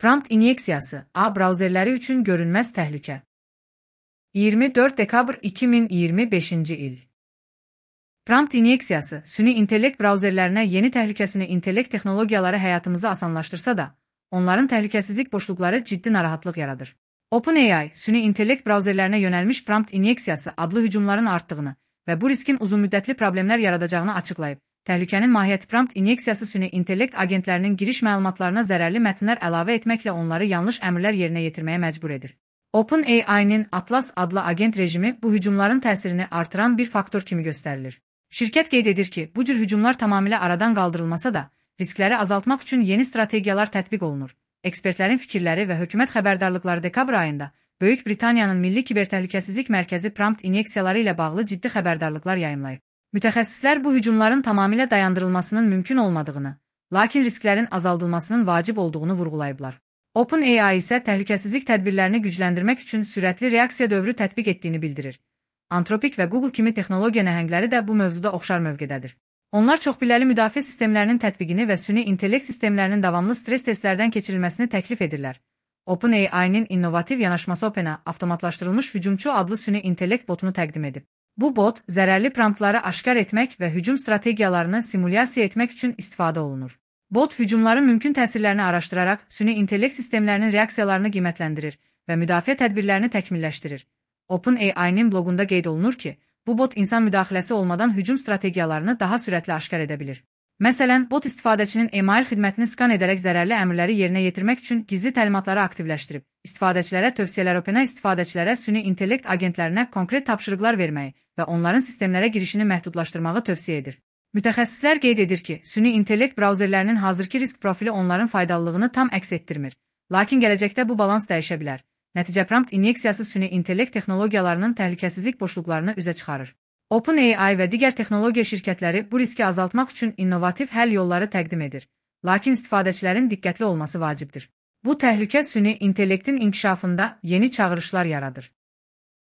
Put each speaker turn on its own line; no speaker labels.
Prompt inyeksiyası, A brauzerləri üçün görünməz təhlükə. 24 dekabr 2025-ci il. Prompt inyeksiyası, süni intellekt brauzerlərinə yeni təhlükəsini intellekt texnologiyaları həyatımızı asanlaşdırsa da, onların təhlükəsizlik boşluqları ciddi narahatlıq yaradır. OpenAI, süni intellekt brauzerlərinə yönəlmiş prompt inyeksiyası adlı hücumların artdığını və bu riskin uzunmüddətli problemlər yaradacağını açıqlayıb. Təhlükənin mahiyyəti prompt inyeksiyası süni intellekt agentlərinin giriş məlumatlarına zərərli mətnlər əlavə etməklə onları yanlış əmrlər yerinə yetirməyə məcbur edir. OpenAI-nin Atlas adlı agent rejimi bu hücumların təsirini artıran bir faktor kimi göstərilir. Şirkət qeyd edir ki, bu cür hücumlar tamamilə aradan qaldırılmasa da, riskləri azaltmaq üçün yeni strategiyalar tətbiq olunur. Ekspertlərin fikirləri və hökumət xəbərdarlıqları dekabr ayında Böyük Britaniyanın Milli Kibertəhlükəsizlik Mərkəzi prompt inyeksiyaları ilə bağlı ciddi xəbərdarlıqlar yayımlayıb. Mütəxəssislər bu hücumların tamamilə dayandırılmasının mümkün olmadığını, lakin risklərin azaldılmasının vacib olduğunu vurğulayıblar. OpenAI isə təhlükəsizlik tədbirlərini gücləndirmək üçün sürətli reaksiya dövrü tətbiq etdiyini bildirir. Anthropic və Google kimi texnologiya nəhəngləri də bu mövzuda oxşar mövqedədir. Onlar çoxpilləli müdafiə sistemlərinin tətbiqini və süni intellekt sistemlərinin davamlı stres testlərdən keçirilməsini təklif edirlər. OpenAI-nin innovativ yanaşması OpenAI avtomatlaşdırılmış hücumçu adlı süni intellekt botunu təqdim edib. Bu bot, zərərli promptları aşkar etmək və hücum strategiyalarını simulyasiya etmək üçün istifadə olunur. Bot, hücumların mümkün təsirlərini araşdıraraq, süni intellekt sistemlərinin reaksiyalarını qiymətləndirir və müdafiə tədbirlərini təkmilləşdirir. OpenAI-nin bloqunda qeyd olunur ki, bu bot insan müdaxiləsi olmadan hücum strategiyalarını daha sürətli aşkar edə bilir. Məsələn, bot istifadəçinin email xidmətini skan edərək zərərli əmrləri yerinə yetirmək üçün gizli təlimatları aktivləşdirib. İstifadəçilərə tövsiyələr OpenAI istifadəçilərə süni intellekt agentlərinə konkret tapşırıqlar verməyi və onların sistemlərə girişini məhdudlaşdırmağı tövsiyə edir. Mütəxəssislər qeyd edir ki, süni intellekt brauzerlərinin hazırki risk profili onların faydalılığını tam əks etdirmir. Lakin gələcəkdə bu balans dəyişə bilər. Nəticə prompt inyeksiyası süni intellekt texnologiyalarının təhlükəsizlik boşluqlarını üzə çıxarır. OpenAI və digər texnologiya şirkətləri bu riski azaltmaq üçün innovativ həll yolları təqdim edir. Lakin istifadəçilərin diqqətli olması vacibdir. Bu təhlükə süni intellektin inkişafında yeni çağırışlar yaradır.